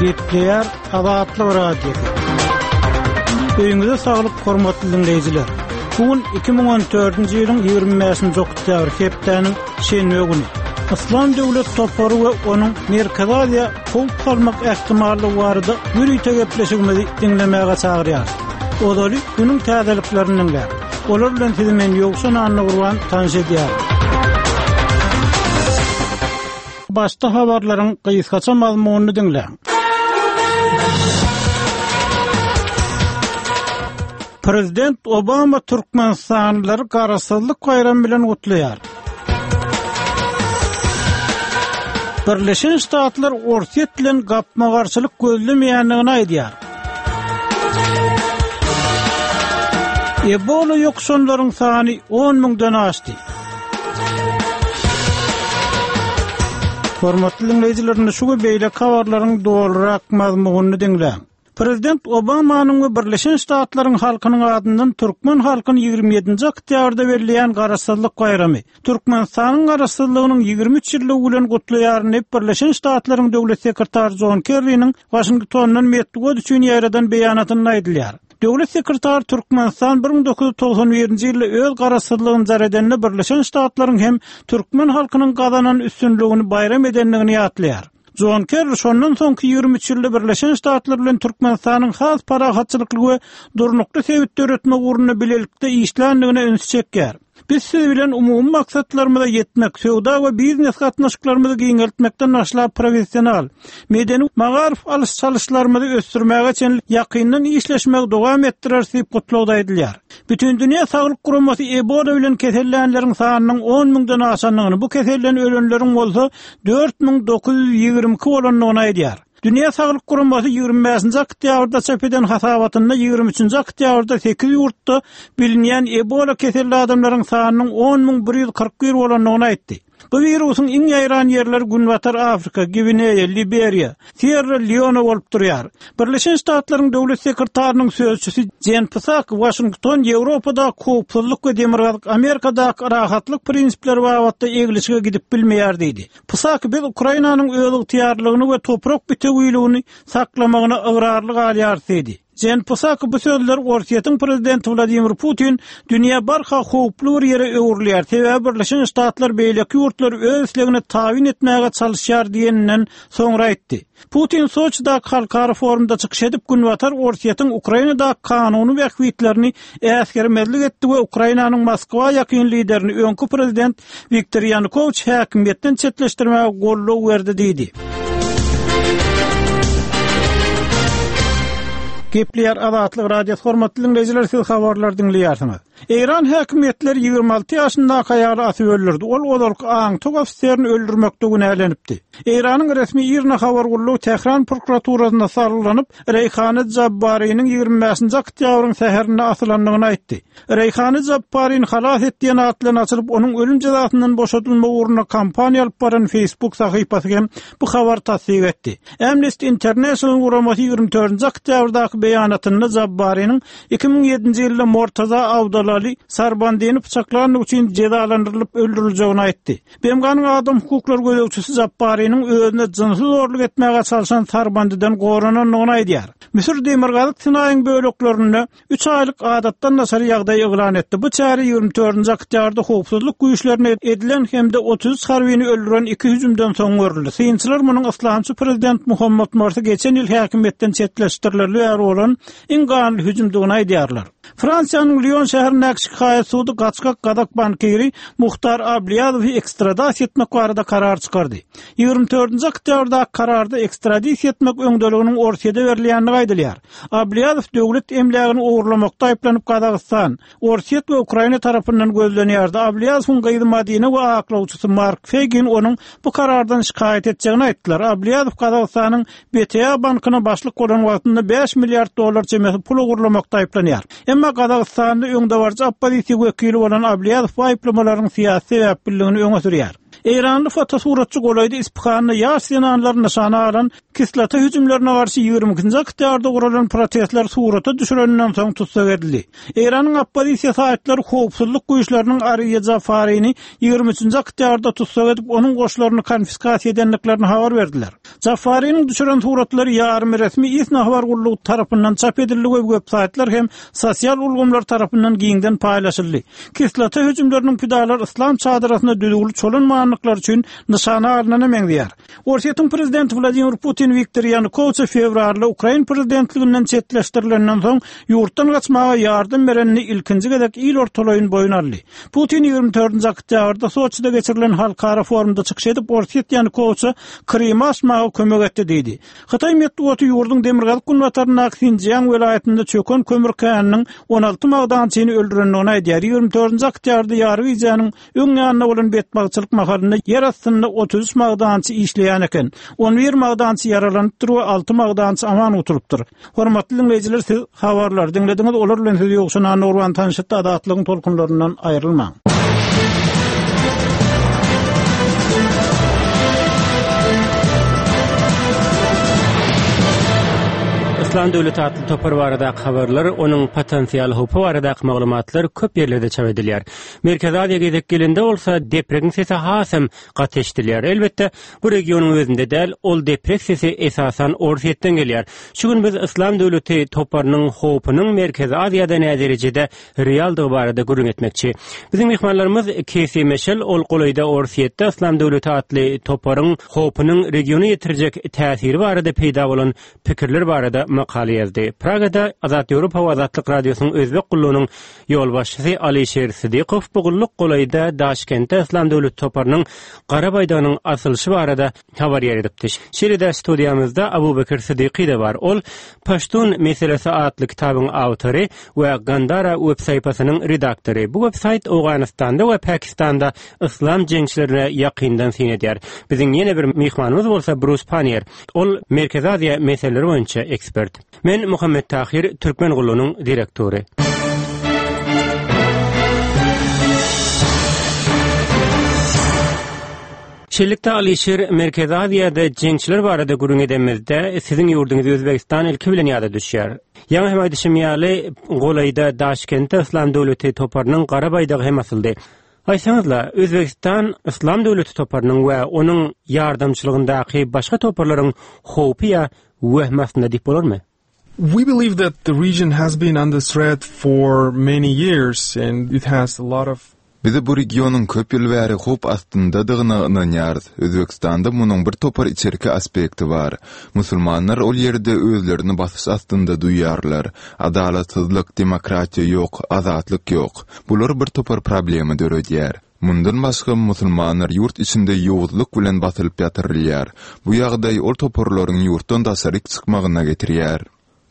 Gepleýär Azatlyk Radiosy. Öýüňize saglyk, hormatly diňleýjiler. Bu gün 2014-nji ýylyň 25-nji oktýabry, hepdäniň şenbe güni. Yslam döwlet topary we onuň Merkezi Aziýa howp salmak ähtimallygy barada ýörite gepleşigimizi diňlemäge çagyrýarys. Ozaly günüň täzeliklerini diňläň. Olar bilen sizi men Ýowşan Annagurban tanyş edýärin. Başda habarlaryň gysgaça mazmunyny diňläň. Prezident Obama türkmenistanlylary Garaşsyzlyk baýramy bilen gutlaýar. Birleşen Ştatlar Orsýet bilen gapma-garşylyk gözlemeýändigini aýdýar. Ebola ýokuşanlaryň sany on müňden aşdy. Hormatly diňleýjiler, indi şu we beýleki habarlaryň dolurak mazmunyny diňläň. Prezident Obamanyň we Birleşen Ştatlaryň halkynyň adyndan türkmen halkyny 27-nji oktýabrda belleýän Garaşsyzlyk baýramy, Türkmenistanyň Garaşsyzlygynyň 23 ýyllygy bilen gutlaýaryn diýip, Birleşen Ştatlaryň Döwlet sekretary Jon Kerriniň Waşingtondan metbugat üçin ýaýradan beýanatynda aýdylýar. Döwlet sekretary Türkmenistan 1991-nji ýylda öz Garaşsyzlygyny jar edende Birleşen Ştatlaryň hem türkmen halkynyň gazanan üstünligini baýram edendigini ýatlaýar. Jon Kerri şondan soňky 23 ýylda Birleşen Ştatlar bilen Türkmenistanyň has parahatçylykly we durnukly sebit döretmek ugrunda bilelikde işländigine ünsi çekýär. Biz siz bilen umumy maksatlarymyza ýetmek, söwda we biznes gatnaşyklarymyzy giňeltmekden başlap professional, medeni, magaryf alyş-çalyşlarymyzy ösdürmäge çenli ýakyndan işleşmegi dowam etdireris diýip gutlagda aýdylýar. Bütindünýä Saglyk Guramasy Ebola bilen kesellänleriň sanynyň on müňden aşandygyny, bu keselden ölenleriň bolsa 4922 bolandygyny aýdýar. Dünýä Saglyk Guramasy 25-nji oktýabrda çap eden hasabatynda 23-nji oktýabrda sekiz ýurtda bilinýän Ebola keselli adamlaryň sanynyň 10 141 bolandygyny aýtdy. Bu wirusyň iň ýaýran ýerleri Günbatar Afrika, Gwineýa, Liberiýa, Sýerra Leone bolup durýar. Birleşen Ştatlaryň Döwlet sekretarynyň sözçüsi Jen Psaki Waşington Ýewropadaky howpsuzlyk we Demirgazyk Amerikadaky rahatlyk prinsipleri babatda eglişige gidip bilmeýär diýdi. Psaki biz Ukrainanyň özygtyýarlylygyny we toprak bitewiligini saklamagyna ygrarly galýarys diýdi. Jen Psaki bu sözleri Orsýetiň prezidenti Wladimir Putin dünýä barha howply bir ýere öwrülýär, sebäbi Birleşen Ştatlar beýleki ýurtlary öz islegine tabyn etmäge çalyşýar diýeninden soňra aýtdy. Putin Soçidaky halkara forumda çykyş edip, Günbatar Orsýetiň Ukrainadaky kanuny bähbitlerini äsgermezlik etdi we Ukrainanyň Moskwa ýakyn liderini, öňki prezident Wiktor Ýanukowiç häkimiýetden çetleşdirmäge goldaw berdi diýdi. Gepleýär Azatlyk Radiosy hormatly diňleýjiler siz habarlary diňleýärsiňiz. Eýran häkimiýetleri 26 ýaşyndaky aýaly asyp öldürdi. Ol ozalky aňtaw ofiserini öldürmekde günälenipdi. Eýranyň resmi IRNA habar gullugy Tähran prokuraturasyna salgylanyp, Reýhana Jabbariniň 25-nji oktýabryň säherinde asylandygyny aýtdy. Reýhany Jabbarini halas et diýen at bilen açylyp, onuň ölüm jezasyndan boşadylmagy ugrunda kampaniýa alyp baran Facebook sahypasy hem bu habary tassyk etdi. Amnesty International guramasy 24-nji oktýabrdaky beýanatynda Jabbariniň 2007-nji ýylda Mortaza Awdalali Sarbandini pyçaklandygy üçin jezalandyrylyp öldüriljegini aýtdy. BMG-niň adam hukuklary gözegçisi Jabbariniň özüne jynsy zorluk etmäge çalşan Sarbandiden goranandygyny aýdýar. Müsür Demirgazyk Sinaýyň böleklerinde üç aýlyk adatdan daşary ýagdaý yglan etdi. Bu çäre 24-nji oktýabrda howpsuzlyk güýçlerine edilen hem-de 33 harbyny öldüren iki hüjümden soň görüldi. Synçylar munuň yslamçy prezident Muhammad Morsi geçen ýyl häkimiýetden çetleşdirilerli bäri bolan iň ganly hüjümdigini aýdýarlar. Fransiýanyň Lion şäherindäki şikaýat sudy gaçgak gazak bankiri Muhtar Ablýazowy ekstradasiýa etmek barada karar çykardy. 24-nji oktýabrdaky kararda ekstradisiýa etmek öňdeliginiň Orsýede berilýändigi aýdylýar. Ablýazow döwlet emlägini ogurlamakda aýyplanyp Gazagystan, Orsýet we Ukraina tarapyndan gözlenýärdi. Ablýazowyň gyzy Madina we aklawçysy Mark Feýgin onuň bu karardan şikaýat etjegini aýtdylar. Ablýazow Gazagystanyň BTA bankyna başlyk bolan wagtynda bäş milliard dollar çemesi pul ogurlamakda aýyplanýar. Emma Gazagystanda öňdebaryjy oppozisiýa wekili bolan Ablýazow bu aýyplamalaryň syýasy sebäpliligini öňe sürýär. Eýranly fotosuratçy golaýda Ispyhanda ýaş zenanlary nyşana alan kislota hüjümlerine garşy 22-nji oktýabrda guralan protestleri surata düşüreninden soň tussag edildi. Eýranyň oppozisiýa saýtlary howpsuzlyk güýçleriniň Ariýa Jafarini 23-nji oktýabrda tussag edip, onuň goşlaryny konfiskasiýa edendiklerini habar berdiler. Jafariniň düşüren suratlary ýarym resmi ISNA habar gullugy tarapyndan çap edildi we websaýtlar hem sosial ulgamlar tarapyndan giňden paýlaşyldy. Kislota hüjümleriniň pidalary yslam çadyrasyna düzüwli çolanmandyklary üçin nyşana alnana meňzeýär. Orsýetiň prezidenti Wladimir Putin Wiktor Ýanukowiçe fewralda ukrain prezidentliginden çetleşdirilenden soň ýurtdan gaçmaga ýardam berenini ilkinji gezek il ortalaýyn boýun aldy. Putin 24-nji oktýabrda Soçide geçirilen halkara forumda çykyş edip, Orsýet Ýanukowiçe Krymy açmaga kömek etdi diýdi. Hytaý metbugaty ýurduň demirgazyk-günbataryndaky Sinjiang welaýatynda çöken kömür käniniň 16 magdançyny öldürendigini aýdýar. 24-nji oktýabrda ýary gijäniň öň ýanynda bolan betbagtçylyk mahalynda ýer astynda 33 magdançy işleýän eken. 11 magdançy ýaralanypdyr we alty magdançy aman gutulypdyr. Hormatly diňleýjiler, siz habarlary diňlediňiz, olar bilen sizi Ýowşan Annagurban tanyşdypdy, Azatlygyň tolkunlaryndan aýrylmaň. Yslam döwleti atly topar baradaky habarlar, onuň potensial howpy baradaky maglumatlar köp ýerlerde çap edilýär. Merkezi Aziýa gezek gelende bolsa, depregiň sesi hasam gaty eşidilýär. Elbetde, bu regionyň özünde däl, ol deprek sesi esasan Orsýetden gelýär. Şu gün biz Yslam döwleti toparynyň howpunyň Merkezi Aziýada näderejede realdygy barada gürrüň etmekçi. Biziň myhmanlarymyz Kesi Meşel, ol golaýda Orsýetde Yslam döwleti atly toparyň howpunyň regiona ýetirjek täsiri barada peýda bolan pikirler barada makala ýazdy. Pragada Azat Ýewropa we Azatlyk Radiosynyň özbek gullugynyň ýolbaşçysy Alyşir Sydykow bu gulluk golaýda Daşkentde Yslam döwleti toparynyň gara baýdagynyň asylyşy barada habar ýaýradypdy. Şeýle-de studiýamyzda Abubekir Sydyky-da bar. Ol Paştun meselesi atly kitabyň awtory we Gandara web sahypasynyň redaktory. Bu web saýt Owganystanda we Pakistanda yslam jeňçilerine ýakyndan syn edýär. Biziň ýene bir myhmanymyz bolsa Brus Pannier. Ol Merkezi Aziýa meseleleri boýunça ekspert. Men Muhammet Tahyr, Türkmen gullugynyň direktory. Şeýlelikde, Alyşir, Merkezi Aziýada jeňçiler barada gürrüň edemizde, siziň ýurduňyz Özbegistan ilki bilen ýada düşýär. Ýaňy hem aýdyşym ýaly, golaýda Daşkentde Yslam döwleti toparynyň gara baýdagy hem asyldy. Aýtsaňyzla, Özbegistan Yslam döwleti toparynyň we onuň ýardamçylygyndaky başga toparlaryň howpy ýa wehmi astynda diýip bolarmy? We believe that the region has been under threat for many years and it has a lot of Biz bu regionyň köp ýyl bäri howp astyndadygyna ynanýarys. Özbegistanda munuň bir topar içerki aspekti bar. Musulmanlar ol ýerde özlerini basyş astynda duýýarlar. Adalatsyzlyk, demokratiýa ýok, azatlyk ýok. Bular bir topar problema döredýär. Mundan başga, musulmanlar ýurt içinde ýowuzlyk bilen basylyp ýatyrylýar. Bu ýagdaý ol toparlaryň ýurtdan daşaryk çykmagyna getirýär.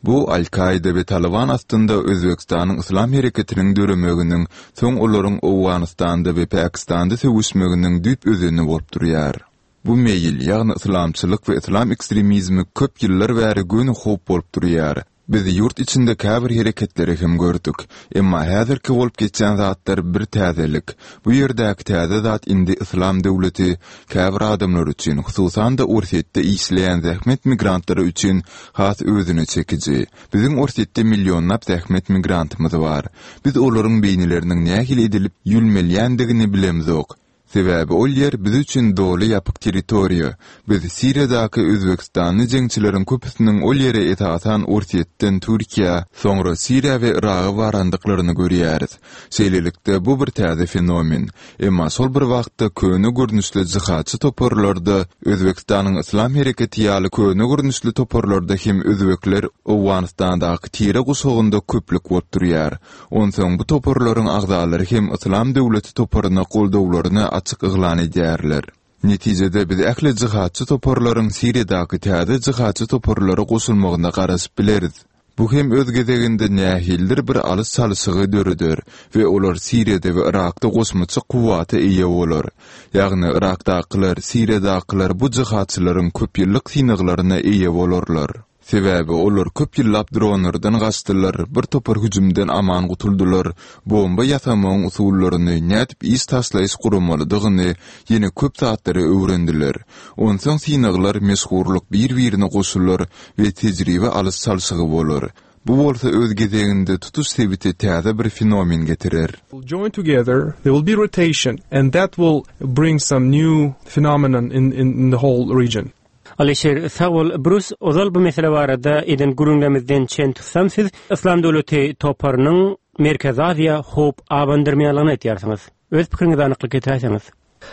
Bu Al-Kaida we Talyban astynda Özbegistanyň yslam hereketiniň döremeginiň, soň olaryň Owganystanda we Pakistanda söweşmeginiň düýp özeni bolup durýar. Bu meýil, ýagny yslamçylyk we yslam ekstremizmi köp ýyllar bäri göni howp bolup durýar. Biz ýurt içinde käbir hereketleri hem gördük. Emma häzirki bolup geçýän zatlar bir täzelik. Bu ýerdäki täze zat indi Yslam döwleti käbir adamlar üçin, hususan-da Orsýetde işleýän zähmet migrantlary üçin has özüne çekiji. Biziň Orsýetde millionlap zähmet migrantymyz bar. Biz olaryň beýnileriniň nähili edilip ýülmelýändigini bilemzok. Sebäbi ol ýer biz üçin doly ýapyk territoriýa. Biz Siriýadaky özbegistanly jeňçileriň köpüsiniň ol ýere esasan Orsýetden Türkiýä, soňra Siriýa we Yraga barandyklaryny görýäris. Şeýlelikde, bu bir täze fenomen. Emma şol bir wagtda köne görnüşli jihadçy toparlarda, Özbegistanyň Yslam hereketi ýaly köne görnüşli toparlarda hem özbekler Owganystandaky tire guşagynda köplük bolup durýar. Onsoň bu toparlaryň agzalary hem Yslam döwleti toparyna goldawlaryny açyk yglan edýärler. Netijede biz ähli jihadçy toparlaryň Siriýadaky täze jihadçy toparlara goşulmagyna garaşyp bileris. Bu hem öz gezeginde nähilidir bir alyş-çalşygy döreder we olar Siriýada we Yrakda goşmaça kuwwata eýe bolar. Ýagny Yrakdakylar, Siriýadakylar bu jihadçylaryň köpýyllyk synaglaryna eýe bolarlar. Sebäbi olar köp ýyllap dronlardan gaçdylar, bir topar hüjümden aman gutuldylar, bomba ýasamagyň usullaryny, nädip iş taşlaýyş guramalydygyny, ýene köp zatlary öwrendiler. Onsoň synaglar, meşhurlyk bir-birine goşular we tejribe alyş-çalşygy bolar. Bu bolsa öz gezeginde tutuş sebite täze bir fenomen getirer. Join together, there will be rotation and that will bring some new phenomenon in in the whole region. Alyşir, sag bol. Brus, ozal bu mesele barada eden gürrüňlerimizden çen tutsam, siz Yslam döwleti toparynyň Merkezi Aziýa howp abandyrmaýanlygyny aýdýarsyňyz. Öz pikiriňize anyklyk getiräýseňiz.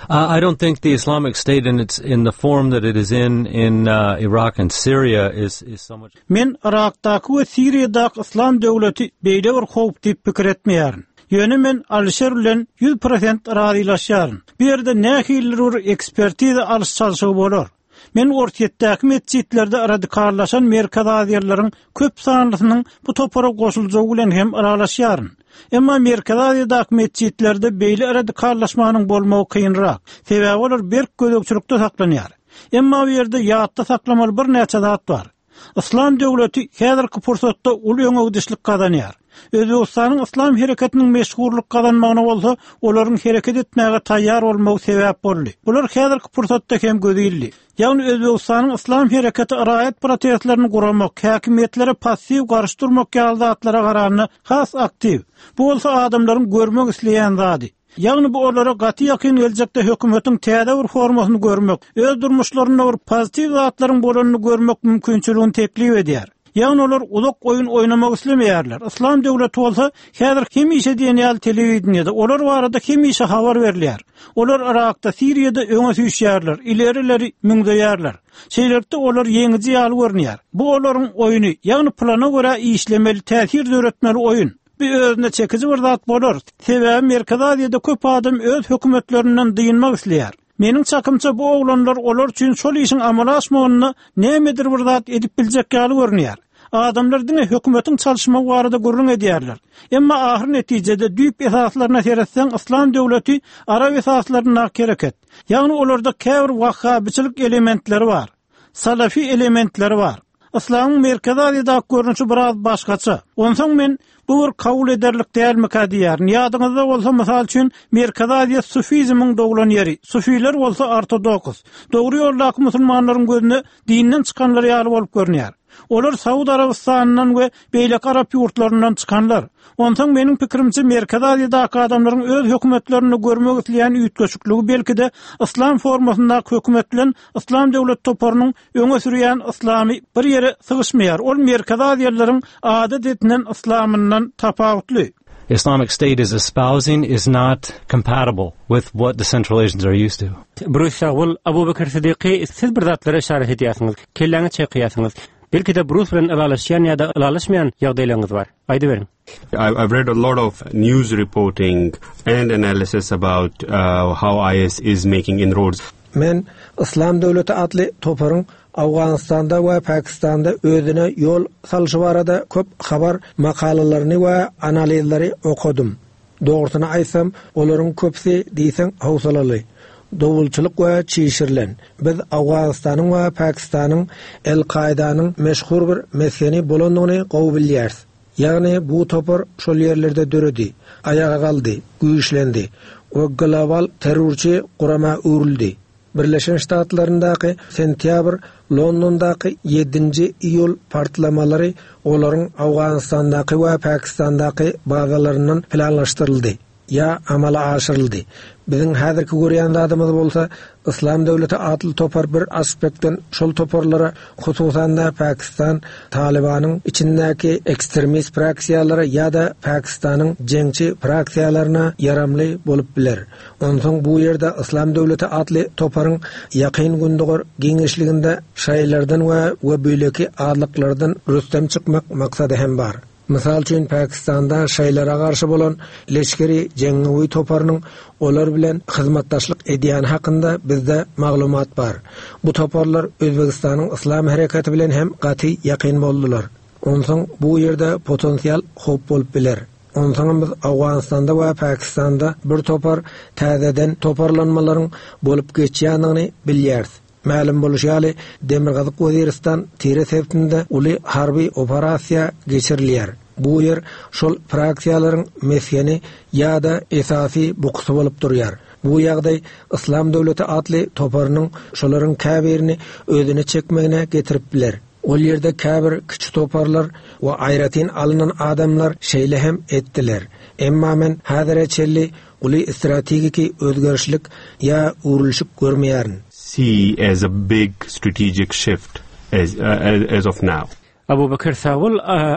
I don't think the Islamic State in its in the form that it is in in uh, Iraq and Syria is is so much Men Yrakdaky we Siriýadaky Yslam döwleti beýle bir howp diýip pikir etmeýärin. Ýöne men Alyşir bilen 100% razylaşýaryn. Bu ýerde nähilidir bir ekspertiza alyş-çalşygy bolar. Men Orsýetdäki metjitlerde radikallaşan merkezi aziýalylaryň köp sanlysynyň bu topara goşuljagy bilen hem ylalaşýaryn. Emma Merkezi Aziýadaky metjitlerde beýle radikallaşmanyň bolmagy kynrak. Sebäbi olar berk gözegçilikde saklanýar. Emma bu ýerde ýatda saklamaly birnäçe zat bar. Yslam döwleti häzirki pursatda uly öňegidişlik gazanýar. Özbegistanyň Yslam hereketiniň meşhurlyk gazanmagyna bolsa olaryň hereket etmäge taýýar bolmagy sebäp boldy. Bular häzirki pursatda hem göze ildi. Ýagny Özbegistanyň Yslam hereketi raýat protestlerini guramak, häkimiýetlere passiw garşy durmak ýaly zatlara garanda has aktiw. Bu bolsa adamlaryň görmek isleýän zady. Ýagny bu olara gaty ýakyn geljekde hökümetiň täze bir formasyny görmek, öz durmuşlarynda bir pozitiw zatlaryň bolanyny görmek mümkinçiligini teklip edýär. Ýagny olar uzak oýun oýnamak islemeýärler. Yslam döwleti bolsa häzir hemişe diýen ýaly telewideniýede olar barada hemişe habar berilýär. Olar Yrakda, Siriýada öňe süýşýärler, ileri-ileri müňzeýärler. Şeýlelikde olar ýeňiji ýaly görünýär. Bu olaryň oýny, ýagny plana görä işlemeli, täsir döretmeli oýun. Bu özüne çekiji bir zat bolar, sebäbi Merkezi Aziýada köp adam öz hökümetlerinden dynmak isleýär. Meniň çakymça bu oglanlar olar üçin şol işiň amala aşmagynda nämedir bir zat edip biljek ýaly görünýär. Adamlar diňe hökümetiň çalyşmagy barada gürrüň edýärler. Emma ahyr netijede düýp esaslaryna seretseň Yslam döwleti arap esaslaryndaky hereket. Ýagny olarda käbir wahhabyçylyk elementleri bar. Salafi elementleri bar. Yslamyň Merkezi Aziýadaky görnüşi biraz başgaça. Onsoň men bu bir kabul ederlik dälmikä diýýärin. Ýadyňyzda bolsa, mysal üçin, Merkezi Aziýa sufizmiň doglan ýeri, sufiler bolsa ortodoks. Dogry ýoldaky musulmanlaryň gözüne dinden çykanlar ýaly bolup görünýär. Olar Saud Arabystanyndan we beýleki arap ýurtlaryndan çykanlar. Onsoň meniň pikirimçe Merkezi Aziýadaky adamlaryň öz hökümetlerinde görmek isleýän üýtgeşikligi belki-de yslam formasyndaky hökümet bilen Yslam döwlet toparynyň öňe sürýän yslamy bir ýere sygyşmaýar, ol Merkezi Aziýalylaryň adat edinen yslamyndan tapawutly. Islamic State is espousing is not compatible with what the Central Asians are used to. Brus sag bol. Abubekir Sidiky siz bir zatlara yşarat edýärsiňiz. Kelläňi çaýkaýarsyňyz. Belki-de Brus bilen ylalaşýan ýa-da ylalaşmaýan ýagdaýlaryňyz bar. Aýdyberiň. I've read a lot of news reporting and analysis about uh, how IS is making inroads. Men Yslam döwleti atly toparyň Owganystanda we Pakistanda özüne ýol salşy barada köp habar makalalaryny we analizleri okadym. Dogrusyny aýtsam, olaryň köpüsi diýseň howsalaly, dowulçylyk we çişirilen. Biz Owganystanyň we Pakistanyň El-Kaidanyň meşhur bir mesgeni bolandygyny gowy bilýäris. Ýagny bu topar şol ýerlerde döredi, aýaga galdy, güýçlendi we global terrorçy gurama öwrüldi. Birleşen Ştatlaryndaky sentýabr, Londondaky ýedinji iýul partlamalary olaryň Owganystandaky we Pakistandaky bazalaryndan planlaşdyryldy ýa amala aşyryldy. Biziň häzirki görýän zadymyz bolsa, Yslam döwleti atly topar bir aspektden şol toparlara, hususan-da Pakistan Talybanyň içindäki ekstremist fraksiýalara ýa-da Pakistanyň jeňçi fraksiýalaryna ýaramly bolup biler. Onsoň bu ýerde Yslam döwleti atly toparyň Ýakyn Gündogar giňişliginde şaýylardan we we beýleki azlyklardan rüstem çykmak maksady hem bar. Mysal üçin, Pakistanda şaýylara garşy bolan Leşgeri Jengawi toparynyň olar bilen hyzmatdaşlyk edýäni hakynda bizde maglumat bar. Bu toparlar Özbegistanyň Yslam hereketi bilen hem gaty ýakyn boldular. Onsoň bu ýerde potensial howp bolup biler. Onsoňam biz Owganystanda we Pakistanda bir topar täzeden toparlanmalaryň bolup geçýändigini bilýäris. Mälim bolşy ýaly, Demirgazyk Weziristan tire sebitinde uly harby operasiýa geçirilýär. Bu ýer şol fraksiýalaryň mesgeni ýa-da esasy bukusy bolup durýar. Bu ýagdaý Yslam döwleti atly toparynyň şolaryň käbirini özüne çekmegine getirip biler. Ol ýerde käbir kiçi toparlar we aýratyn alnan adamlar şeýle hem etdiler. Emma men häzire çenli uly strategiki özgerişlik ýa öwrülişik görmeýärin. see as a big strategic shift as as of now. Abubekir sag bol.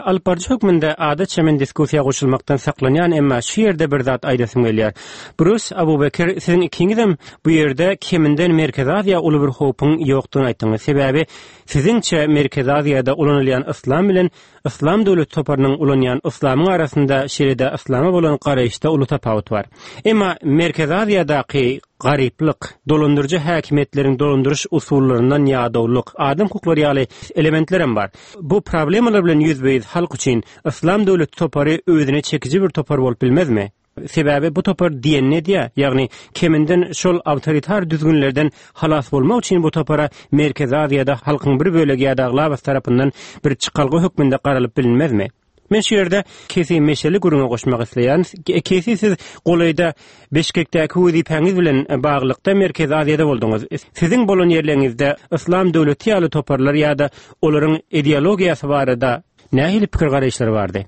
Alyp baryjy hökmünde adatça men diskussiýa goşulmakdan saklanýan, emma şu ýerde bir zat aýdasym gelýär. Brus, Abubekir, siziň ikiňizem bu ýerde keminden Merkezi Aziýa uly bir howpuň ýokdugyny aýtdyňyz. Sebäbi siziňçe Merkezi Aziýada ulanylýan yslam bilen Yslam döwleti toparynyň ulanýan yslamyň arasynda şeýle-de yslama bolan garaýyşda uly tapawut bar. Emma Merkezi Aziýadaky garyplyk, dolandyryjy häkimiýetleriň dolandyryş usullaryndan ýadawlyk, adam hukuklary ýaly elementlerem bar. Bu problemalar bilen ýüzbe-ýüz halk üçin Yslam döwleti topary özüne çekiji bir topar bolup bilmezmi? Sebäbi bu topar diýenini edýär, ýagny keminden şol awtoritar düzgünlerden halas bolmak üçin bu topara Merkezi Aziýada halkyň bir bölegi ýa-da aglabasy tarapyndan bir çykalga hökmünde garalyp bilinmezmi? Men şu ýerde Kesi Meşeli gürrüňe goşmak isleýärin. Kesi siz golaýda Bişkekdäki wezipäňiz bilen baglylykda Merkezi Aziýada bolduňyz. Siziň bolan ýerleriňizde Yslam döwleti ýaly toparlar ýa-da olaryň ideologiýasy barada nähili pikir-garaýyşlar bardy?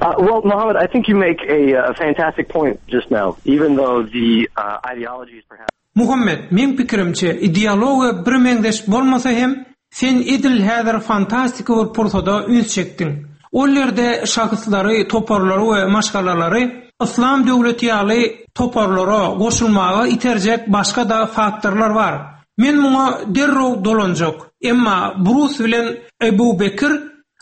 Uh, well, Mohammed, I think you make a, a fantastic point just now, even though the uh, ideology is perhaps... Muhammet, meň pikirimçe, ideologiýa birmeňzeş bolmasa hem, sen edil häzir fantastiki bir pursada üns çekdiň. Ol ýerde şahslary, toparlary we maşgalalary Yslam döwleti ýaly toparlara goşulmaga iterjek başga-da faktorlar bar. Men muňa derrew dolanjak. Emma Brus bilen Ebu Bekir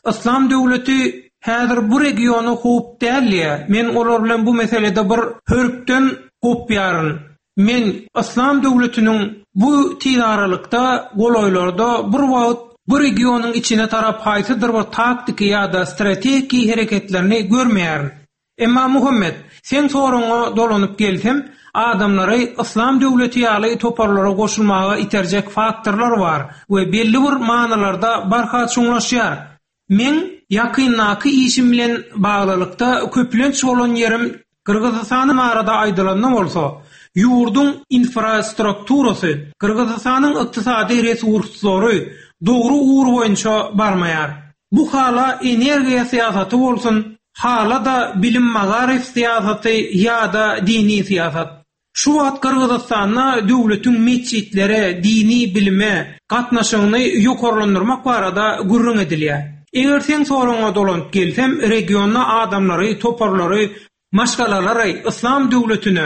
Yslam döwleti häzir bu regiona howp däl diýýär. Men olar bilen bu meselede bir hörpden gopýaryn. Men Yslam döwletiniň bu tizaralykda golaýlarda bir wagt bu regionyň içine tarap haýsydyr bir taktiki ýa-da strategiki hereketlerini görmeýärin. Emma Muhammet, seň soragyňa dolanyp gelsem, adamlary Yslam döwleti ýaly toparlara goşulmaga iterjek faktorlar bar we belli bir manylarda barha çuňlaşýar. Meň ýakyndaky işim bilen baglylykda köplenç bolan ýerim Gyrgyzystan barada aýdylanda bolsa, ýurduň infrastrukturasy, Gyrgyzystanyň ykdysady resurslary dogry ugur boýunça barmaýar. Bu hala energiýa syýasaty bolsun, hala-da bilim-magaryf syýasaty ýa-da dini syýasat. Şu wagt Gyrgyzystanda döwletiň metjitlere, dini bilime gatnaşygyny ýokarlandyrmak barada gürrüň edilýär. Eger seň soragyňa dolanyp gelsem, regionda adamlary, toparlary, maşgalalary yslam döwletine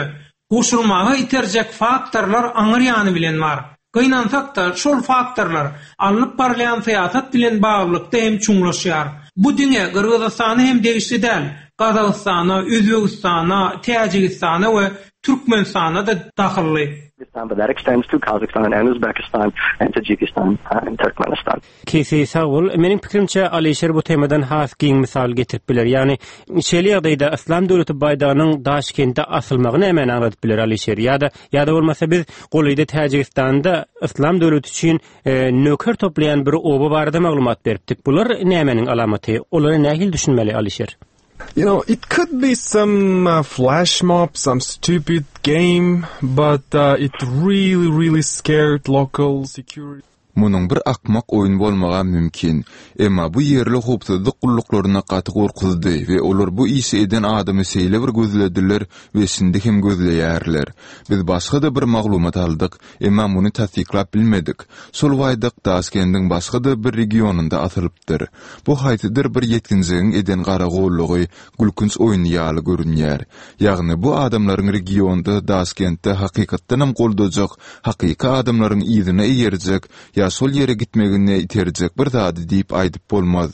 goşulmaga iterjek faktorlar aňyr ýany bilen bar. Gynansak-da, şol faktorlar alnyp barylýan syýasat bilen baglylykda hem çuňlaşýar. Bu diňe Gyrgyzystana hem degişli däl, Gazagystana, Özbegistana, Täjigistana we Türkmenistana-da dahylly. But that extends to Kazakhstan and Uzbekistan and Tajikistan and Turkmenistan. Kesi sag bol. Meniň pikirimçe Alyşir bu temadan has giň mysal getirip biler. Ýagny şeýle ýagdaýda Yslam döwleti baýdagynyň Daşkentde asylmagy nämäni aňladyp biler Alyşir? Ýa-da ýa-da bolmasa biz golaýda Täjigistanda Yslam döwleti üçin nöker toplaýan bir oba barada maglumat beripdik. Bular nämäniň alamaty? Olara nähili düşünmeli Alyşir? You know, it could be some uh, flash mob, some stupid game, but uh, it really, really scared local security. Munuň bir akmak oýun bolmagam mümkin. Emma bu ýerli howpsuzlyk gulluklaryny gaty gorkuzdy we olar bu işi eden adamy şeýle bir gözlediler we şindi hem gözleýärler. Biz başga-da bir maglumat aldyk, emma muny tassyklap bilmedik. Şol baýdak Daşkendiň başga-da bir regionynda asylypdyr. Bu haýsydyr bir ýetginjegiň eden garagollugy, gülkünç oýny ýaly görünýär. Ýagny bu adamlaryň regionda, Daşkentde hakykatdanam goldajak, hakyky adamlaryň yzyna eýerjek ýa şol ýere gitmegine iterjek bir zady diýip aýdyp bolmaz.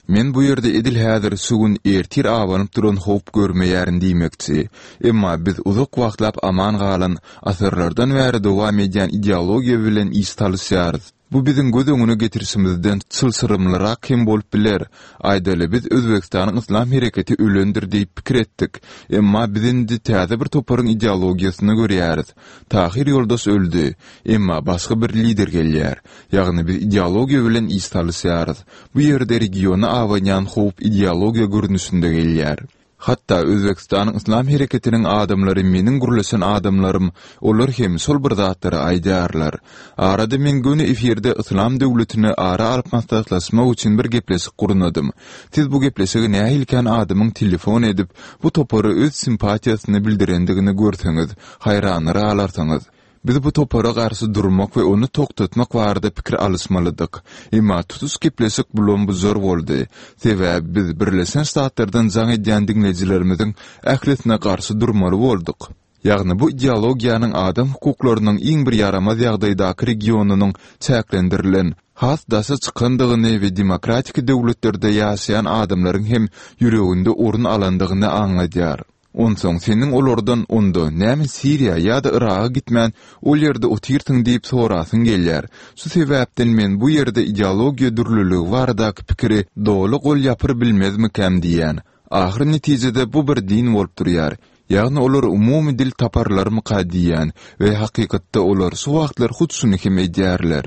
Men bu ýerde edil häzir, şu gün, ertir abanyp duran howp görmeýärin diýmekçi. Emma biz uzak wagtlap aman galan, asyrlardan bäri dowam edýän ideologiýa bilen iş salyşýarys. Bu biziň göz öňüne getirişimizden çylşyrymlyrak hem bolup biler. Aýdaly, biz Özbegistanyň yslam hereketi ölendir diýip pikir etdik. Emma biz indi täze bir toparyň ideologiýasyny görýäris. Tahyr ýoldaş öldi. Emma başga bir lider gelýär. Ýagny biz ideologiýa bilen iş salyşýarys. Bu ýerde regiona abanýan howp ideologiýa görnüşinde gelýär. Hatda Özbegistanyň Yslam hereketiniň adamlary meniň gürleşen adamlarym, olar hem şol bir zatlary aýdýarlar. Arada men göni efirde Yslam döwletini ara alyp maslahatlaşmak üçin bir gepleşik gurnadym. Siz bu gepleşige nähili kän adamyň telefon edip, bu topara öz simpatiýasyny bildirendigini görseňiz, haýranlar galarsyňyz. Biz bu topara garşy durmak we ony togtatmak barada pikir alyşmalydyk. Emma tutuş gepleşik bulam-bujar boldy. Sebäbi biz Birleşen Ştatlardan jaň edýän diňleýjilerimiziň ählisine garşy durmaly bolduk. Ýagny bu ideologiýanyň adam hukuklarynyň iň bir ýaramaz ýagdaýdaky regionynyň çäklendirilen, has daşa çykandygyny we demokratiki döwletlerde ýaşaýan adamlaryň hem ýüreginde orun alandygyny aňladýar. Onsoň seniň olardan onda näme Siriýa ýa-da Yraga gitmän ol ýerde otyrsyň diýip sorasyň gelýär. Şu sebäpden men bu ýerde ideologiýa dürlüligi baradaky pikiri doly gol ýapyr bilmezmikäm diýýän. Ahyr netijede bu bir din bolup durýar. Ýagny olar umumy dil taparlarmyka diýýän we hakykatda olar şu wagtlar hut şuny hem edýärler.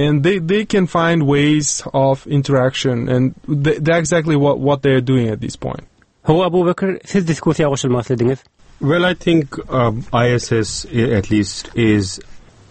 And they they can find ways of interaction and that's exactly what what they are doing at this point. Hawa Abubekir, siz diskussiýa goşulmak islediňiz. Well I think ISIS at least is.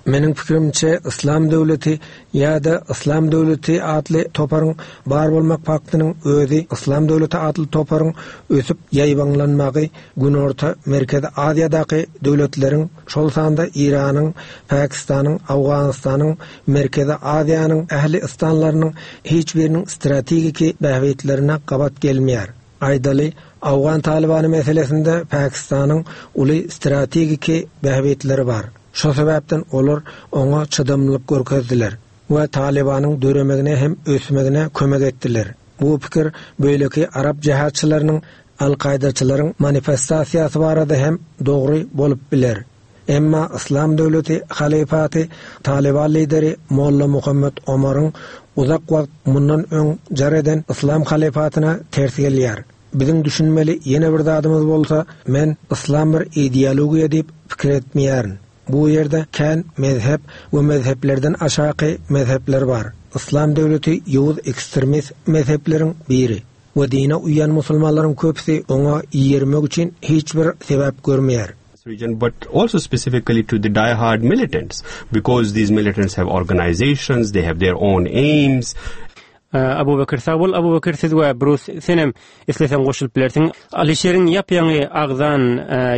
Meniň pikirimçe Yslam döwleti ýa-da Yslam döwleti atly toparyň bar bolmak faktynyň özi Yslam döwleti atly toparyň ösüp ýaýbaňlanmagy Günorta, Merkezi Aziýadaky döwletleriň, şol sanda Iranyň, Pakistanyň, Owganystanyň, Merkezi Aziýanyň ähli ystanlarynyň hiç biriniň strategiki bähbitlerine gabat gelmeýär. Aýdaly, owgan talybany meselesinde Pakistanyň uly strategiki bähbitleri bar. Şo sebäpden olar oňa çydamlylyk görkezdiler we Talybanyň döremegine hem ösmegine kömek etdiler. Bu pikir beýleki arap jihatçylarynyň al-kaýdaçylaryň manifestasiýasy barada hem dogry bolup biler. Emma Yslam döwleti halyfaty Talyban lideri Molla Muhammet Omaryň uzak wagt mundan öň jar eden Yslam halyfatyna ters gelýär. Biziň düşünmeli ýene bir zadymyz bolsa, men Yslam bir ideologiýa diýip pikir etmeýärin. Bu ýerde kän mezhep we mezheplerden aşaky mezhepler bar. Yslam döwleti ýowuz ekstremist mezhepleriň biri. We dine uýýan musulmanlaryň köpüsi oňa ýermek üçin hiç bir sebäp görmeýär. region but also specifically to the die-hard militants because these militants have organizations they have their own aims Abubekir sag bol Abubekir siz we Brus senem isleseň goşulyp bilersiň. Alyşeriň ýap-ýaňy agzan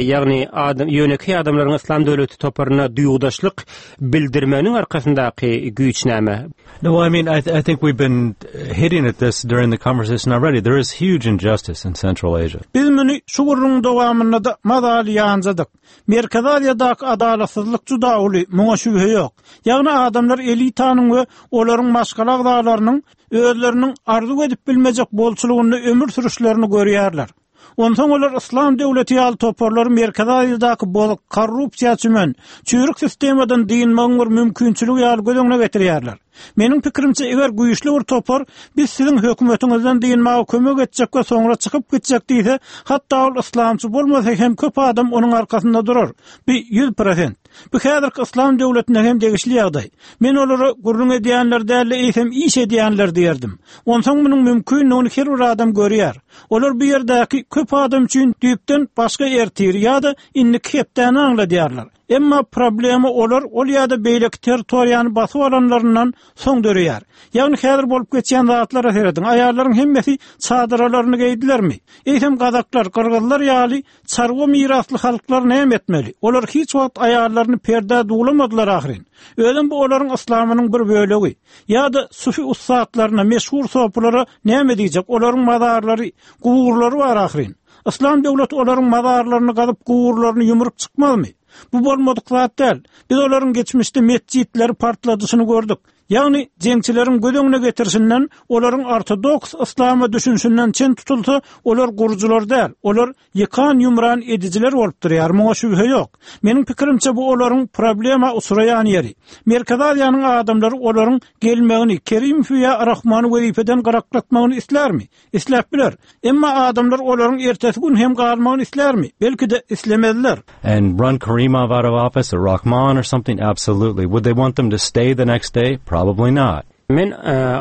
ýagny adam ýönekeý adamlaryň Yslam döwleti toparyna duýgudaşlyk bildirmeginiň arkasyndaky güýç näme? No, I mean, I, th I think we've been hitting at this during the conversation already. There is huge injustice in Central Asia. Biz muny şu gürrüňiň dowamynda-da mazaly ýanjadyk. Merkezi Aziýadaky adalatsyzlyk juda uly, muňa şübhe ýok. Ýagny adamlar elitanyň we olaryň maşgala agzalarynyň özleriniň arzuw edip bilmejek bolçulygynda ömür sürüşlerini görýärler. Onsoň olar Yslam döwleti ýaly toparlary Merkezi Aziýadaky bozuk, korrupsiýa çümen, çüýrük sistemadan dynmagyň bir mümkinçiligi ýaly göz öňüne getirýärler. Meniň pikirimçe, eger güýçli bir topar biz siziň hökümetiňizden dynmaga kömek etjek we soňra çykyp gitjek diýse, hatda ol yslamçy bolmasa hem köp adam onuň arkasynda durar. Bu 100%. Bu häzirki yslam döwletine hem degişli ýagdaý. Men olara gürrüň edýänler däl-de, eýsem iş edýänler diýerdim. Onsoň munuň mümkindigini her bir adam görýär. Olar bu ýerdäki köp adam üçin düýpden başga ertiri ýa-da indiki hepdäni aňladýarlar. Emma problema olar ol ýa-da beýleki territoriýany basyp alanlaryndan soň döreýär. Ýagny häzir bolup geçýän zatlara serediň, aýallaryň hemmesi çadyralaryny geýdilermi? Eýsem gazaklar, gyrgyzlar ýaly çarwa mirasly halklar näme etmeli? Olar hiç wagt aýallaryny perdä duwlamadylar ahyryn. Özem bu olaryň yslamynyň bir bölegi. Ýa-da sufi ussatlaryna, meşhur sopulara näme diýjek, olaryň mazarlary, guburlary bar ahyryn. Yslam döwleti olaryň mazarlaryny gazyp, guburlaryny ýumrup çykmazmy? Bu bolmadyk zat däl. Biz olaryň geçmişde metjitleri partladyşyny gördük. Ýagny, jeňçileriň göz öňüne getirişinden, olaryň ortodoks yslama düşünişinden çen tutulsa, olar gurujylar däl, olar ýykan-ýumran edijiler bolup durýar, muňa şübhe ýok. Meniň pikirimçe, bu olaryň problema uçraýan ýeri. Merkezi Aziýanyň adamlary olaryň gelmegini, Kerimowy ýa Rahmany wezipeden gyraklatmagyny islärmi? Isläp biler. Emma adamlar olaryň ertesi gün hem galmagyny islärmi? Belki-de, islemezler. And run Karimov out of office or Rahmon or something? Absolutely. Would they want them to stay the next day? Probably not. Men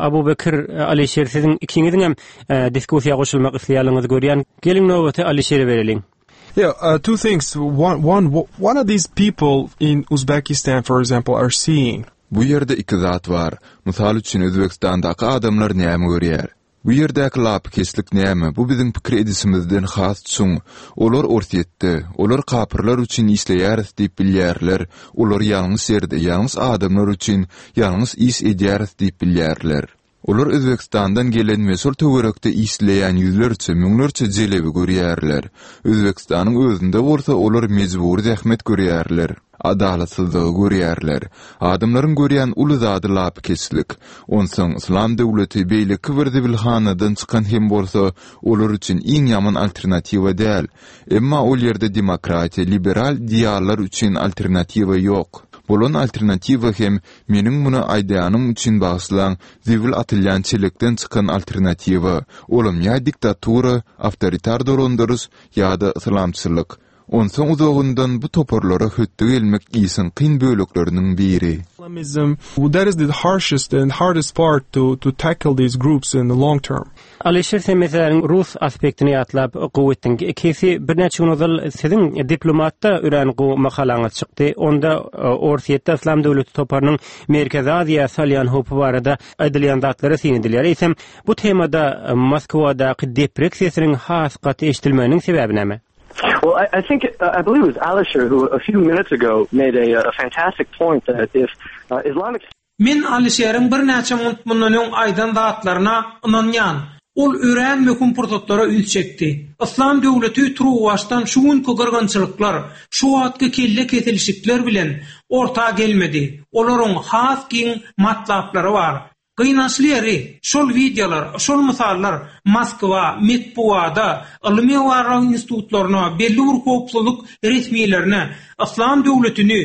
Abubekir, Alyşir siziň ikiňiziňem diskussiýa goşulmak isleýänligiňizi görýän. Geliň nobaty Alyşire bereliň. Yeah, uh, two things. One, one, one of these people in Uzbekistan, for example, are seeing. Bu ýerde iki zat bar. Mysal üçin, Özbegistandaky adamlar näme görýär? Bu ýerdäki lapykeçlik näme, bu biziň pikir edişimizden has çuň. Olar Orsýetde, olar kapyrlar üçin işleýäris diýip bilýärler, olar ýalňyş ýerde, ýalňyş adamlar üçin ýalňyş iş edýäris diýip bilýärler. Olar Özbegistandan gelen we şol töwerekde işleýän ýüzlerçe, müňlerçe jelebi görýärler. Özbegistanyň özünde bolsa olar mejbury zähmet görýärler. Adalatsyzlygy görýärler. Adamlaryň görýän uly zady lapykeçlik. Onsoň, Yslam döwleti beýleki bir zibilhanadan çykan hem bolsa, olar üçin iň ýaman alternatiwa däl. Emma ol ýerde demokratiýa, liberal ideallar üçin alternatiwa ýok. Bolan alternatiwa hem, meniň muny aýdýanym üçin bagyşlaň, zibil atylýan çelekden çykan alternatiwa. Olam ýa diktatura, awtoritar dolandyryş, ýa-da yslamçylyk. Onsoň uzagyndan bu toparlara hötde gelmek işiň kyn bölekleriniň biri. Islamism, that is the harshest and hardest part to to tackle these groups in the long term. Alyşir sen meseläniň rus aspektini ýatlap gowy etdiň. Kesi birnäçe gün ozal siziň Diplomatda örän gowy makalaňyz çykdy. Onda Orsýetde Yslam döwleti toparynyň Merkezi Aziýa salýan howpy barada aýdylýan zatlara syn edilýär. Eýsem bu temada Moskwadaky deprek sesiniň has gaty eşidilmeginiň sebäbi näme? Well, I, I think uh, I believe it was Alisher who a few minutes ago made a, a fantastic point that if uh, Islamic Men Alyşeriň birnäçe munt mundan öň aýdan zatlaryna ynanýan. Ol örän möhüm pursatlara üns çekdi. Yslam döwleti turuwbaşdan şu günki gyrgynçylyklar, şu wagtky kelle kesilişikler bilen orta gelmedi. Olaryň has giň matlaplary bar. Gynançly ýeri, şol wideolar, şol mysallar Moskwa, metbugata, ylmy-barlag institutlaryna, belli bir howpsuzlyk resmilerine Yslam döwletini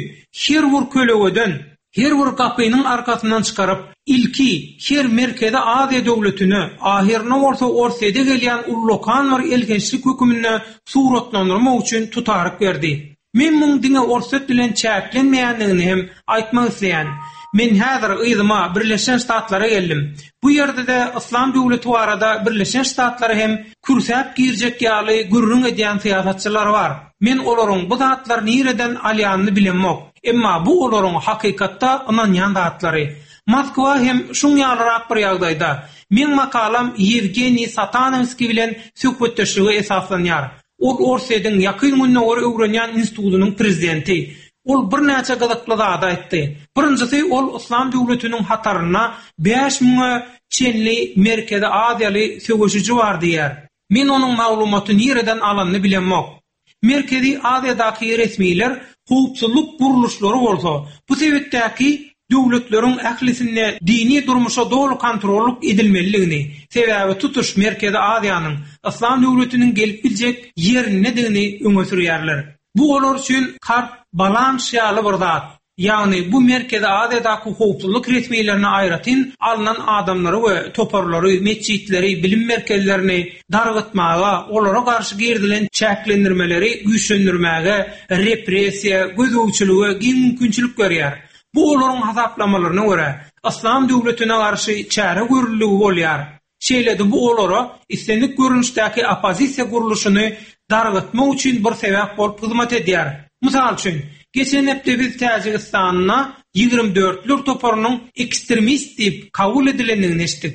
her bir kölegeden, her bir gapynyň arkasyndan çykaryp, ilki her Merkezi Aziýa döwletine, ahyrynda bolsa Orsýede gelýän ullakan bir elhençlik höküminde suratlandyrmak üçin tutaryk berdi. Men muň diňe Orsýet bilen çäklenmeýändigini hem aýtmak isleýän. Men häzir yzyma, Birleşen Ştatlara geldim. Bu ýerde-de Yslam döwleti barada Birleşen Ştatlara hem kürsäp girjek ýaly gürrüň edýän syýasatçylar bar. Men olaryň bu zatlary nireden alýanyny bilemok. Emma bu olaryň hakykatda ynanýan zatlary. Moskwa hem şuň ýalyrak bir ýagdaýda. Meň makalam Ýewgeniý Satanowskiý bilen söhbetdeşlige esaslanýar. Ol Orsýetiň Ýakyn Gündogary öwrenýän institutynyň prezidenti. Ol birnäçe gyzykly zady aýtdy. Birinjisi, ol Yslam döwletiniň hatarynda bäş müňe çenli Merkezi Aziýaly söweşiji bar diýýär. Men onuň maglumaty nireden alanyny bilemok. Merkezi Aziýadaky resmiler, howpsuzlyk gurluşlary bolsa, bu sebitdäki döwletleriň ählisinde dini durmuşa doly kontrollyk edilmelidigini, sebäbi tutuş Merkezi Aziýanyň Yslam döwletiniň gelip biljek ýerindedigini öňe sürýärler. Bu olar üçin kart balanş ýaly bir zat. Ýagny bu Merkezi Aziýadaky howpsuzlyk resmilerine aýratyn alnan adamlary we toparlary, metjitleri, bilim merkezlerini dargytmaga, olara garşy girizilen çäklendirmeleri güýçlendirmäge, repressiýa, gözegçilige giň mümkinçilik berýär. Bu olaryň hasaplamalaryna görä, Yslam döwletine garşy çäre görüldigi bolýar. Şeýle-de bu olara islendik görnüşdäki oppozisiýa gurluşyny dargytmak üçin bir sebäp bolup hyzmat edýär. Mysal üçin, geçen hepde biz Täjigistanda 24-ler toparynyň ekstremist diýip kabul edilendigini eşitdik.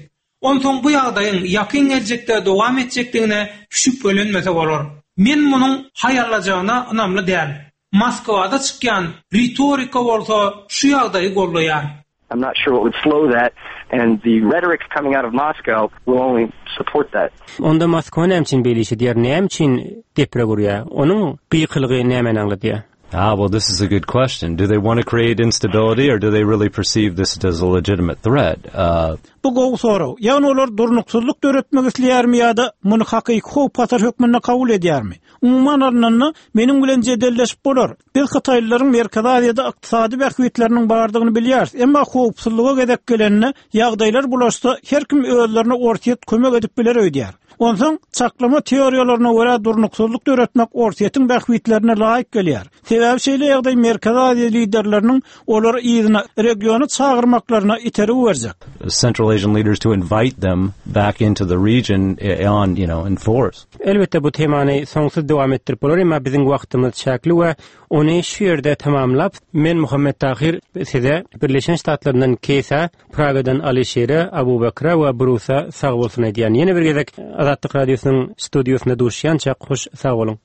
Onsoň bu ýagdaýyň ýakyn geljekde dowam etjekdigine şübhelenmese bolar. Men munuň haýallajagyna ynamly däl. Moskwada çykýan ritorika bolsa şu ýagdaýy goldaýar. I'm not sure what would slow that and the rhetoric coming out of Moscow will only support that. Onda Moskwa näme üçin beýle iş edýär, näme üçin deprek urýar? Onuň gykylygy nämäni aňladýar? Ah, well, this is a good question. Do they want to create instability or do they really perceive this as a legitimate threat? Uh, Bu gowy sorag. Ýagny olar durnuksyzlyk döretmek isleýärmi ýa-da muny hakyky howp-hatar hökmünde kabul edýärmi? Umuman alnanda, meniň bilen jedelleşip bolar. Biz hytaýlylaryň Merkezi Aziýada ykdysady bähbitleriniň bardygyny bilýäris, emma howpsuzlyga gezek gelende, ýagdaýlar bulaşsa, her kim özlerine Orsýet kömek edip biler öýdýär. Onsoň, çaklama teoriýalaryna görä durnuksyzlyk döretmek Orsýetiň bähbitlerine laýyk gelýär. Sebäbi şeýle ýagdaý Merkezi Aziýa liderleriniň olary yzyna, regiona çagyrmaklaryna itergi berjek. Central Asian leaders to invite them back into the region on, you know, in force. Elbetde bu temany soňsuz dowam etdirip bolar, emma biziň wagtymyz çäkli we ony şu ýerde tamamlap, men Muhammet Tahyr size Birleşen Ştatlaryndan Keýsa, Pragadan Alyşire, Abubekre we Brusa sag bolsun aýdýan. Ýene bir gezek Azatlyk Radiosynyň studiýasynda duşýançak hoş sag boluň.